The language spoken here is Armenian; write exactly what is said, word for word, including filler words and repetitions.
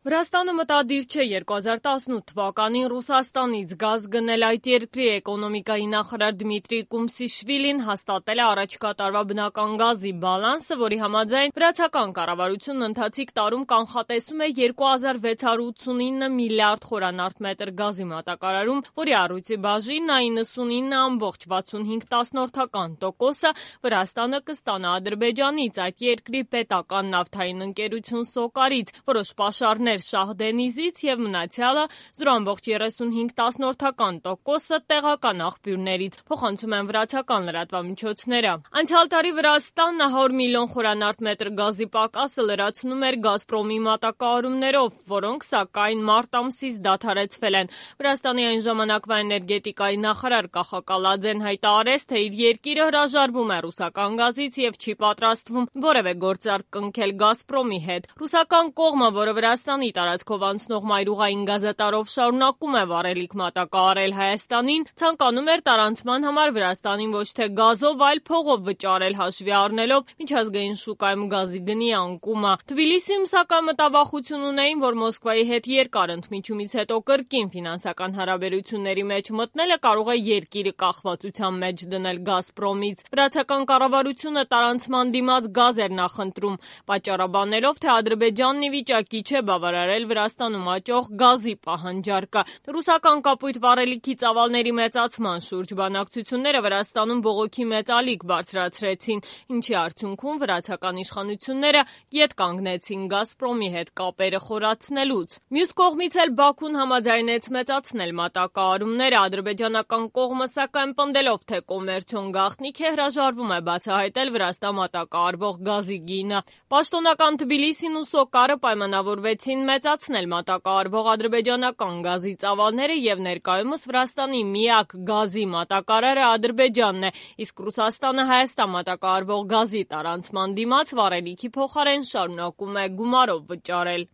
Վրաստանը մտադիր չէ երկու հազար տասնութ թվականին Ռուսաստանից գազ գնել։ Այդ երկրի էկոնոմիկայի նախարար Դմիտրի Կումսիշվիլին հաստատել է առաջիկա տարվա բնական գազի բալանսը, որի համաձայն վրացական կառավարությունն ընթացիկ տարում կանխատեսում է երկու հազար վեց հարյուր ութսունինը միլիարդ խորանարդ գազի մատակարարում, որի առույցի բաժինն իննսունինը ամբողջ վաթսունհինգ տասնորդական տոկոսը Վրաստանը կստանա Ադրբեջանից, այդ երկրի պետական նավթային ընկերություն Սոկարից, որոշ պաշարներ Շահդենիզից եւ մնացյալը զրո ամբողջ երեսունհինգ տասնորդական տոկոսը տեղական աղբյուրներից, փոխանցում են վրացական լրատվամիջոցները։ Անցյալ տարի Վրաստանը հարյուր միլիոն խորանարդ մետր գազի պակասը լրացնում էր Գազպրոմի մատակարարումներով, որոնք սակայն մարտ ամսից դադարեցվել են։ Վրաստանի այն ժամանակվա էներգետիկայի նախարար Կախակալաձեն հայտարարեց, թե իր երկիրը հրաժարվում է ռուսական գազից եւ չի պատրաստվում որևէ գործարք կնքել Գազպրոմի հետ։ Ռուսական կողմը, որը Վրաստանի տարածքով անցնող մայրուղային գազատարով շարունակում է վառելիք մատակարարել Հայաստանին, ցանկանում էր տարանցման համար Վրաստանին ոչ թե գազով, այլ փողով վճարել, հաշվի առնելով միջազգային շուկայում գազի գնի անկումը։ Թբիլիսիում սակայն մտավախություն ունեին, որ Մոսկվայի հետ երկար ընդմիջումից հետո կրկին ֆինանսական հարաբերությունների մեջ մտնելը կարող է երկիրը կախվածության մեջ դնել Գազպրոմից։ Վրացական կառավարությունը տարանցման դիմաց գազ էր նախընտրում, պատճառաբանելով, թե Ադրբեջանն ի վիճակի չէ բավարարել Վրաստանում աճող գազի պահանջարկը։ Ռուսական կապույտ վառելիքի ծավալների մեծացման շուրջ բանակցությունները Վրաստանում բողոքի մեծ ալիք բարձրացրեցին, ինչի արդյունքում վրացական իշխանությունները ետ կանգնեցին Գազպրոմի հետ կապերը խորացնելուց։ Մյուս կողմից էլ Բաքուն համաձայնեց մեծացնել մատակարարումները, ադրբեջանական կողմը սակայն պնդելով, թե կոմերցիոն գաղտնիք է, հրաժարվում է բացահայտել Վրաստան մատակարարվող գազի գինը։ Պաշտոնական Թբիլիսին ու Սոկարը պայմանավորվեցին մեծացնել մատակարարվող ադրբեջանական գազի ծավալները եւ ներկայումս Վրաստանի միակ գազի մատակարարը Ադրբեջանն է, իսկ Ռուսաստանը Հայաստան մատակարարվող գազի տարանցման դիմաց վառելիքի փոխարեն շարունակում է գումարով վճարել։